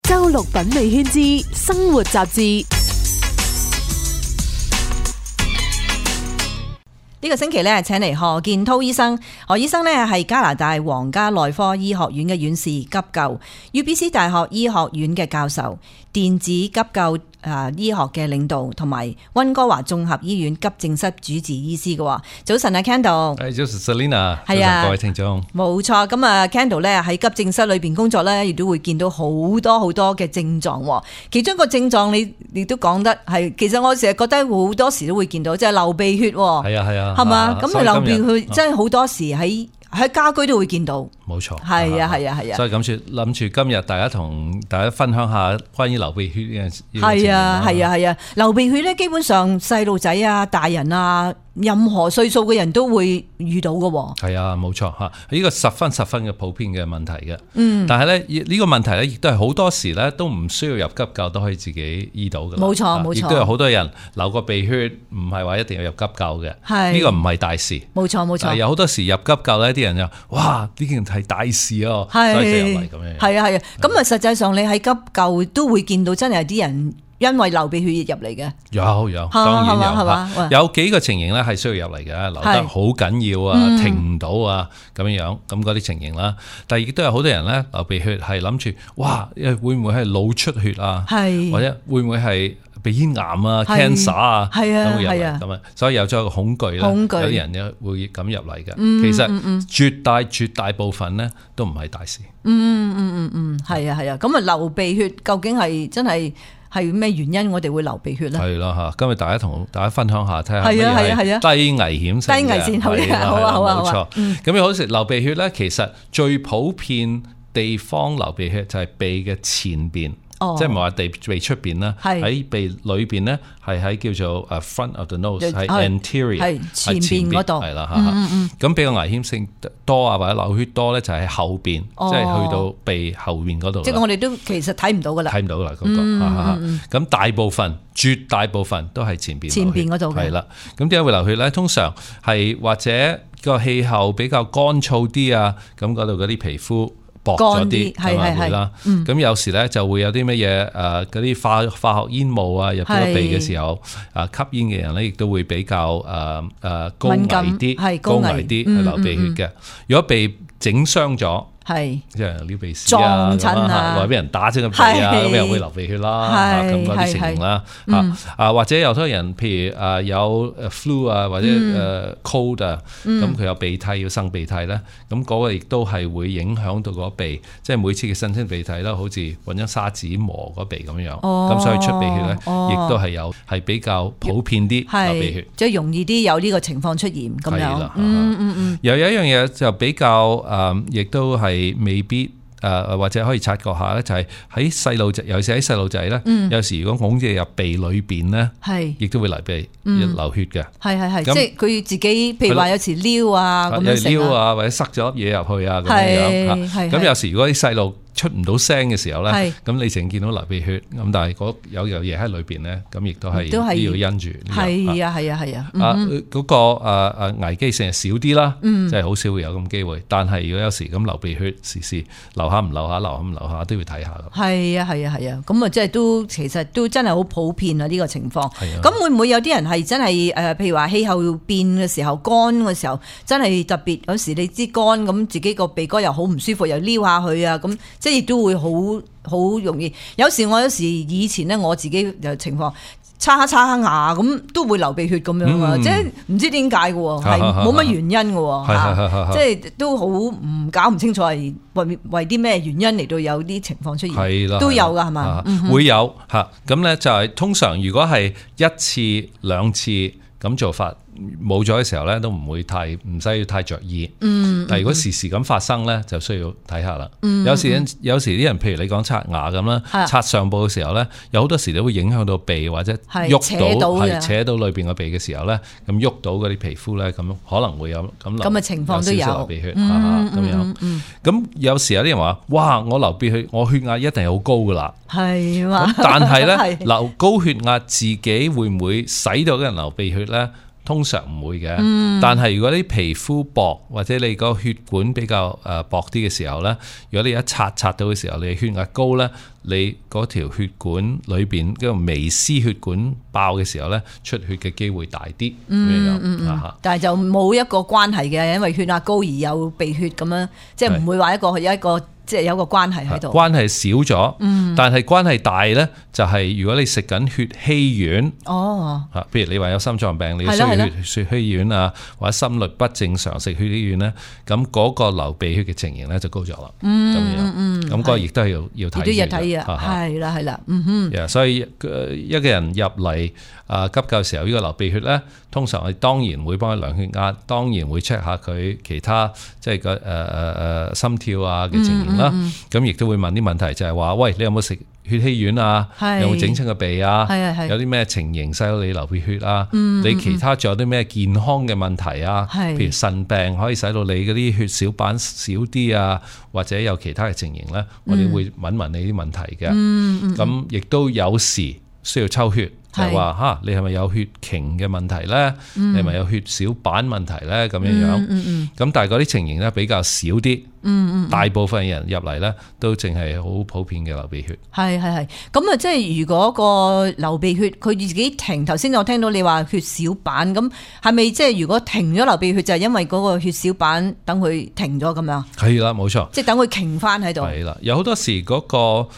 周六品味圈之生活雜誌。呢個星期咧，請嚟何建滔醫生。何醫生咧係加拿大皇家內科醫學院嘅院士急救，UBC 大學醫學院嘅教授，電子急救醫學嘅領導，同埋溫哥華綜合醫院急症室主治醫師嘅。早晨啊 Candle， 早晨 Selina， 係啊，各位聽眾，冇錯。咁啊 Candle 咧喺急症室裏邊工作咧，亦都會見到好多嘅症狀。其中一個症狀你亦都講得係，其實我成日覺得好多時都會見到，即係流鼻血。係啊，係嘛？咁流鼻血真係好多時喺家居都會見到。冇錯，係啊。所以諗住今日大家同大家分享下關於流鼻血呢樣。係啊，流鼻血咧，基本上細路仔啊、大人啊，任何歲數嘅人都會遇到嘅。係啊，冇錯嚇，呢個十分嘅普遍嘅問題嘅。但係咧呢個問題咧，亦都係好多時咧都唔需要入急救都可以自己醫到嘅。冇錯。亦都有好多人流個鼻血，唔係話一定要入急救嘅。呢個唔係大事。冇錯。有好多時入急救咧，啲人就哇呢件係大事哦，所以就入嚟咁樣。係啊。咁啊，實際上你喺急救都會見到真係有啲人因為流鼻血入嚟嘅。有，當然有。係嘛？有幾個情形咧係需要入嚟嘅，流得好緊要啊，停唔到啊咁樣咁嗰啲情形啦。但係亦都有好多人咧流鼻血係諗住，哇會唔會係腦出血啊？或者會唔會係鼻咽癌啊 cancer 啊，咁啊，所以有咗一個恐懼啦。有啲人咧會咁入嚟嘅。其實絕大部分咧都唔係大事。係啊。咁啊，流鼻血究竟係真係咩原因？我哋會流鼻血咧？係啦嚇，今日同大家分享下，睇下咩係低危險性嘅。低危線好啊，冇錯。咁好似流鼻血咧，其實最普遍地方流鼻血就係鼻嘅前邊。即係唔係話鼻出邊啦，喺鼻裏邊咧，係喺叫做front of the nose， 係 anterior， 係前邊嗰度，係啦嚇。咁比較危險性多啊，或者流血多咧，就喺後邊，即係去到鼻後邊嗰度。即係我哋都其實睇唔到噶啦，睇唔到啦嗰個。咁絕大部分都係前邊嗰度嘅。係啦。咁點解會流血咧？通常係或者個氣候比較乾燥啲啊，咁嗰度嗰啲皮膚薄咗啲，係啦。咁有時咧就會有啲乜嘢嗰啲化學煙霧啊入咗鼻嘅時候，吸煙嘅人咧亦都會比較高危啲去流鼻血嘅。如果被整傷咗，即係撩鼻屎啊，撞親啊，或者俾人打親個鼻啊，咁又會流鼻血啦，咁嗰啲情形啦。或者有好多人，譬如有 flu 啊，或者cold 啊，咁佢有鼻涕要擤鼻涕咧，咁嗰個亦都係會影響到個鼻，即係每次嘅擤親鼻涕啦，好似揾張砂紙磨個鼻咁樣，咁所以出鼻血咧，亦都係比較普遍啲流鼻血，即係容易啲有呢個情況出現咁樣。又有一樣嘢就比較亦都係未必或者可以察覺下咧，就係喺細路仔，尤其是喺細路仔咧，有時如果拱住入鼻裏邊咧，亦都會流血嘅。係，即係佢自己，譬如話有時撩啊咁樣撩啊，或者塞咗粒嘢入去啊咁樣。咁有時如果啲細路出唔到聲嘅時候咧，咁你淨見到流鼻血，咁但係有嘢喺裏邊咧，咁亦都係要因住。係啊。嗰個危機性係少啲啦，即係好少會有咁機會。但係如果有時咁流鼻血，時流下唔流下，流下唔流下，都要睇下㗎。係啊。咁啊，即係其實都真係好普遍啊呢個情況。咁會唔會有啲人係真係譬如話氣候變嘅時候，乾嘅時候，真係特別有時你知乾咁，自己個鼻哥又好唔舒服，又撩下佢啊咁。即係亦都會好容易，有時以前咧我自己嘅情況，擦下牙咁都會流鼻血咁樣啊！即係唔知點解嘅喎，係冇乜原因嘅喎，即係都好搞唔清楚係為啲咩原因嚟到有啲情況出現，都有㗎係嘛？會有嚇，咁咧就係通常如果係一次兩次咁做法。冇咗嘅時候咧，都唔使太着意。但係如果時咁發生咧，就需要睇下啦。有時啲人，譬如你講刷牙咁啦，刷上部嘅時候咧，有好多時都會影響到鼻或者喐到扯到裏邊個鼻嘅時候咧，咁喐到嗰啲皮膚咧，咁可能會有咁嘅情況都有流鼻血咁樣。咁有時有啲人話：哇！我流鼻血，我血壓一定係好高噶啦。係嘛？但係咧，流高血壓自己會唔會使到嗰人流鼻血咧？通常唔會嘅。但係如果你皮膚薄或者你個血管比較薄啲嘅時候咧，如果你一擦到嘅時候，你血壓高咧，你嗰條血管裏邊嗰個微絲血管爆嘅時候咧，出血嘅機會大啲。但係就冇一個關係嘅，因為血壓高而有鼻血咁樣，即係唔會話有一個即係有個關係喺度。關係少咗，但係關係大咧，就係如果你食緊血稀丸，譬如你話有心臟病，你需要血稀丸啊，或者心律不正常食血稀丸咧，咁嗰個流鼻血嘅情形咧就高咗啦。咁嗰個亦都係要睇嘅。係啦，所以一個人入嚟急救時候呢個流鼻血咧，通常我哋當然會幫佢量血壓，當然會 check 下佢其他即係個心跳啊嘅情形啦。咁亦都會問啲問題，就係話喂，你有冇食血稀丸啊？有冇整親個鼻啊？有啲咩情形使到你流鼻血啊？你其他仲有啲咩健康嘅問題啊？譬如腎病可以使到你嗰啲血小板少啲啊，或者有其他嘅情形咧，我哋會問你啲問題嘅。咁亦都有時需要抽血。就係話你係咪有血凝嘅問題咧？你係咪有血小板問題咧？咁樣。咁但係嗰啲情形咧比較少啲。大部分人入嚟咧都淨係好普遍嘅流鼻血。係。咁啊，即係如果個流鼻血佢自己停，頭先我聽到你話血小板，咁係咪即係如果停咗流鼻血就係因為嗰個血小板等佢停咗咁樣？係啦，冇錯。即係等佢停翻喺度。係啦，有好多時嗰個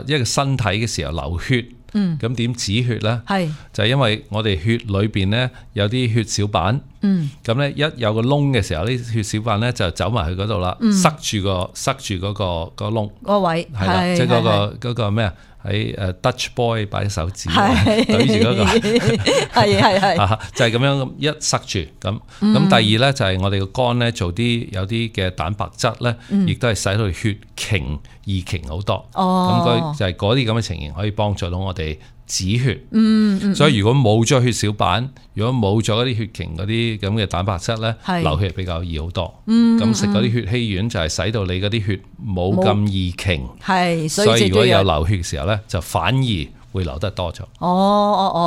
一個身體嘅時候流血。咁點止血咧？就係因為我哋血裏邊咧有啲血小板，咁咧一有個窿嘅時候，啲血小板咧就走埋去嗰度啦，塞住嗰個窿個位，係啦，即係嗰個咩啊？喺Dutch boy 擺手指對住嗰個，係就係咁樣一塞住咁。咁第二咧就係我哋個肝咧做有啲嘅蛋白質咧，亦都係使到血凝易凝好多。咁就係嗰啲咁嘅情形可以幫助到我哋止血。所以如果冇咗血小板，如果冇咗嗰啲血凝嗰啲咁嘅蛋白質咧，流血比較易好多。咁食嗰啲血稀丸就係使到你嗰啲血冇咁易凝。所以如果有流血嘅時候咧，就反而會流得多咗。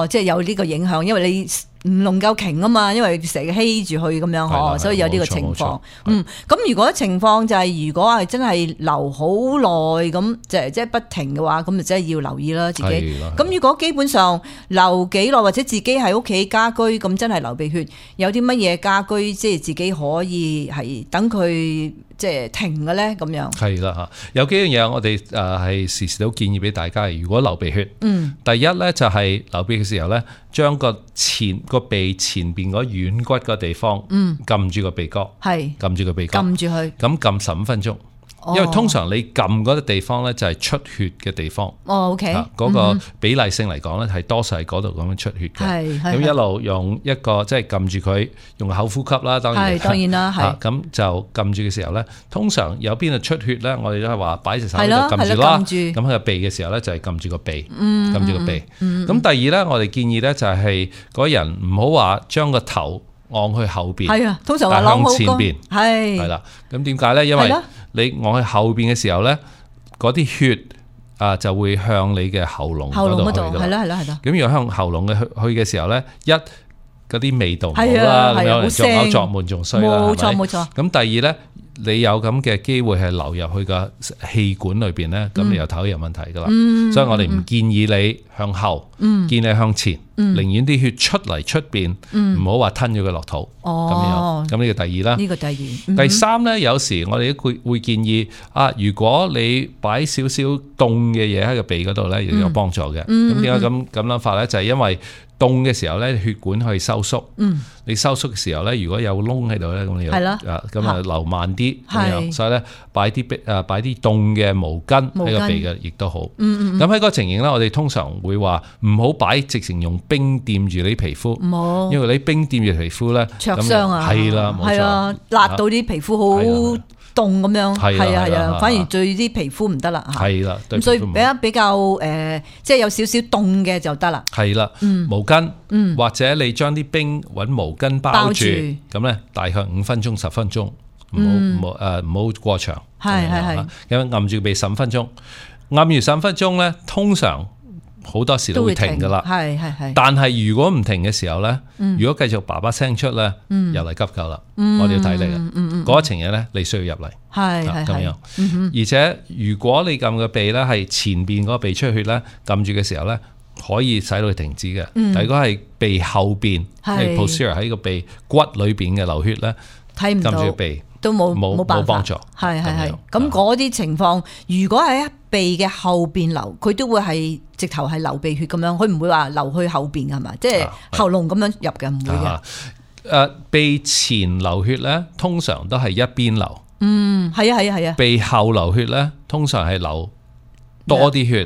即係有呢個影響，因為你唔能夠停啊嘛，因為成日稀住去咁樣，所以有呢個情況。咁如果情況就係如果係真係流好耐咁，即係不停嘅話，咁就真係要留意啦自己。咁如果基本上流幾耐或者自己喺屋企家居咁真係流鼻血，有啲乜嘢家居即係自己可以係等佢即係停嘅咧咁樣？係啦嚇，有幾樣嘢我哋係時時都建議俾大家。如果流鼻血，第一咧就係流鼻血嘅時候咧，將個鼻前邊嗰軟骨個地方，撳住個鼻哥，撳住個鼻哥，撳住佢，咁撳15分鐘。因為通常你撳嗰個地方咧就係出血嘅地方。OK，嗰個比例性嚟講咧係多數係嗰度咁樣出血嘅。咁一路用一個即係撳住佢，用口呼吸啦，當然啦，咁就撳住嘅時候咧，通常有邊度出血咧，我哋都係話擺隻手喺度撳住啦。咁喺個鼻嘅時候咧就係撳住個鼻，撳住個鼻。咁第二咧，我哋建議咧就係嗰人唔好話將個頭按去後邊，通常話向前邊，係啦。咁點解咧？因為你按去後邊嘅時候咧，嗰啲血就會向你嘅喉嚨嗰度去㗎啦。咁如果向喉嚨嘅去嘅時候咧，嗰啲味道唔好啦，咁樣作嘔作悶仲衰啦，冇錯。咁第二咧，你有咁嘅機會係流入去個氣管裏邊咧，咁你又頭有問題噶啦。所以我哋唔建議你向後，建議你向前，寧願啲血出嚟出邊，唔好話吞咗佢落肚。咁樣，咁呢個第二啦。呢個第二。第三咧，有時我哋都會建議如果你擺少少凍嘅嘢喺個鼻嗰度咧，亦有幫助嘅。咁點解咁諗法咧？就係因為凍嘅時候咧，血管可以收縮。你收縮嘅時候咧，如果有窿喺度咧，咁你咁流慢啲咁樣。所以咧，擺啲凍嘅毛巾喺個鼻嘅，亦都好。咁喺嗰個情形咧，我哋通常會話唔好擺直情用冰掂住你皮膚，因為你冰掂住皮膚咧，灼傷啊，係啦，冇錯，辣到啲皮膚好凍咁樣，係啊，反而對啲皮膚唔得啦，係啦，咁所以比較即係有少少凍嘅就得啦，係啦，毛巾，或者你將啲冰揾毛巾包住，咁咧大概5分鐘10分鐘，唔好過長，係，咁按住鼻15分鐘，按完15分鐘咧，通常好多時都會停噶啦。係。但係如果唔停嘅時候咧，如果繼續叭叭聲出咧，又嚟急救啦。我哋要睇你嘅嗰一程嘢咧，你需要入嚟。係咁樣。而且如果你撳個鼻咧係前邊嗰個鼻出血咧，撳住嘅時候咧，可以使到佢停止嘅。但如果係鼻後邊，係 posterior 喺個鼻骨裏邊嘅流血咧，睇唔到，撳住鼻都冇幫助。係。咁嗰啲情況，如果喺鼻嘅後邊流，佢都會係直頭係流鼻血咁樣，佢唔會話流去後邊係嘛？即係喉嚨咁樣入嘅，唔會嘅。鼻前流血咧，通常都係一邊流。係啊。鼻後流血咧，通常係流多啲血。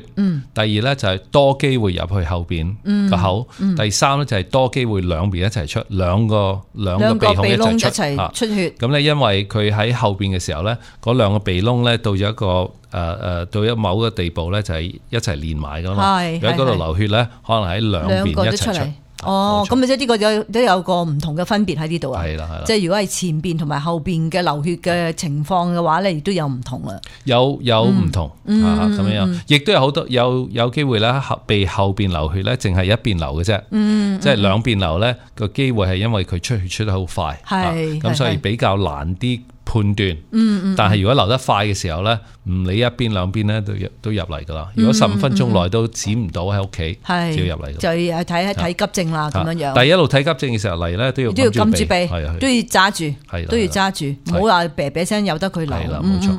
第二咧就係多機會入去後邊個口。第三咧就係多機會兩邊一齊出，兩個鼻孔一齊出血。咁咧，因為佢喺後邊嘅時候咧，嗰兩個鼻窿咧到咗一個到咗某個地步咧，就係一齊連埋噶嘛。喺嗰度流血咧，可能喺兩邊一齊出。咁即係呢個都有個唔同嘅分別喺呢度啊。係啦。即係如果係前邊同埋後邊嘅流血嘅情況嘅話咧，亦都有唔同啊。有唔同咁樣，亦都有好多有機會咧，鼻後邊流血咧，淨係一邊流嘅啫。即係兩邊流咧，個機會係因為佢出血出得好快。咁所以比較難啲判斷。但係如果流得快嘅時候咧，唔理一邊兩邊咧都入嚟噶啦。如果15分鐘內都止唔到喺屋企，就要入嚟。就要睇急症啦，咁樣樣。但係一路睇急症嘅時候嚟咧，都要撳住鼻，都要揸住，都要揸住，唔好話啤啤聲由得佢流。係啦，冇錯。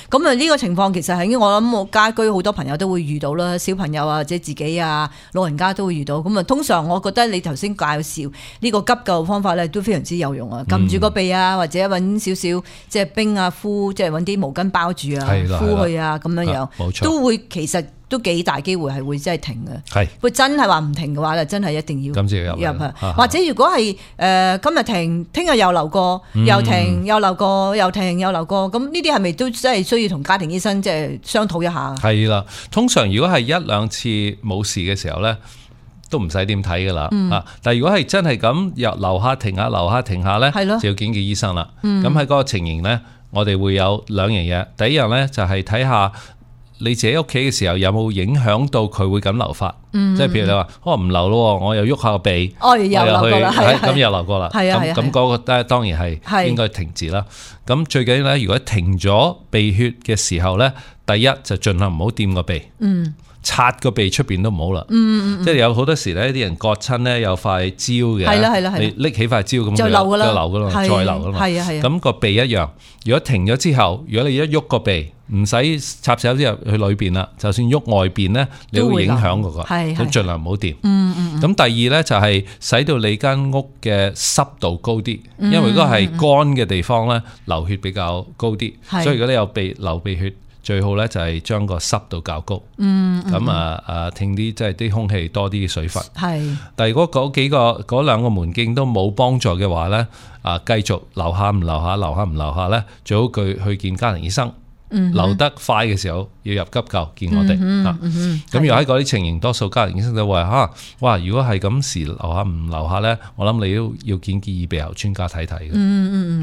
咁啊，呢個情況其實係我諗我家居好多朋友都會遇到啦，小朋友啊或者自己啊老人家都會遇到。咁啊，通常我覺得你頭先介紹呢個急救方法咧都非常之有用啊，撳住個鼻啊，或者揾少少即係冰啊敷，即係揾啲毛巾包住啊，敷佢啊咁樣樣，都會其實都幾大機會係會真係停嘅。係，會真係話唔停嘅話就真係一定要入去。或者如果係今日停，聽日又流過，又停又流過，又停又流過，咁呢啲係咪都真係需要同家庭醫生即係商討一下？係啦，通常如果係1、2次冇事嘅時候咧，都唔使點睇噶啦。但係如果係真係咁又流下停下流下停下咧，就要見醫生啦。咁喺嗰個情形咧，我哋會有2樣嘢。第一樣咧就係睇下你自己屋企嘅時候有冇影響到佢會咁流法。即係譬如你話唔流咯，我又喐下個鼻，又流過啦，咁又流過啦。咁嗰個當然係應該停止啦。咁最緊要咧，如果停咗鼻血嘅時候咧，第一就盡量唔好掂個鼻。擦個鼻出邊都唔好啦。即係有好多時咧，啲人割親咧有塊膠嘅，係啦，你拎起塊膠咁就流噶啦，再流噶嘛。咁個鼻一樣，如果停咗之後，如果你一喐個鼻，唔使插手之入去裏邊啦，就算喐外邊咧，你會影響嗰個，咁盡量唔好掂。咁第二咧就係使到你間屋嘅濕度高啲，因為如果係乾嘅地方咧，流血比較高啲，所以如果你有流鼻血，最好咧就係將個濕度較高，咁聽啲即係啲空氣多啲水分。但係如果嗰兩個門徑都冇幫助嘅話咧，繼續流下唔流下，流下唔流下咧，最好佢去見家庭醫生。流得快嘅時候要入急救見我哋。咁如果喺嗰啲情形，多數家庭醫生就話哇，如果係咁時流下唔流下咧，我諗你都要見耳鼻喉專家睇睇嘅。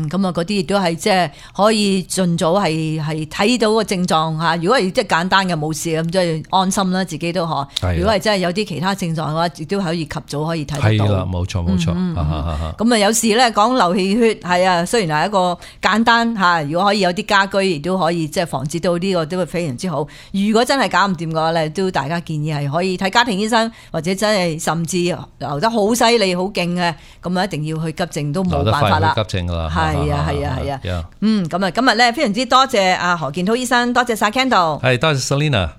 咁啊，嗰啲亦都係即係可以盡早係睇到個症狀嚇。如果係即係簡單嘅冇事咁，即係安心啦，自己都可。如果係真係有啲其他症狀嘅話，亦都可以及早可以睇得到。係啦，冇錯。咁啊，有時咧講流氣血係啊，雖然係一個簡單嚇，如果可以有啲家居亦都可以。即係防止到呢個都會非常之好。如果真係搞唔掂嘅話咧，都大家建議係可以睇家庭醫生，或者真係甚至流得好犀利、好勁嘅，咁啊一定要去急症都冇辦法啦。急症㗎啦。係啊。咁啊，今日咧非常之多謝阿何健滔醫生，多謝晒 Kendall。係，多謝 Selina。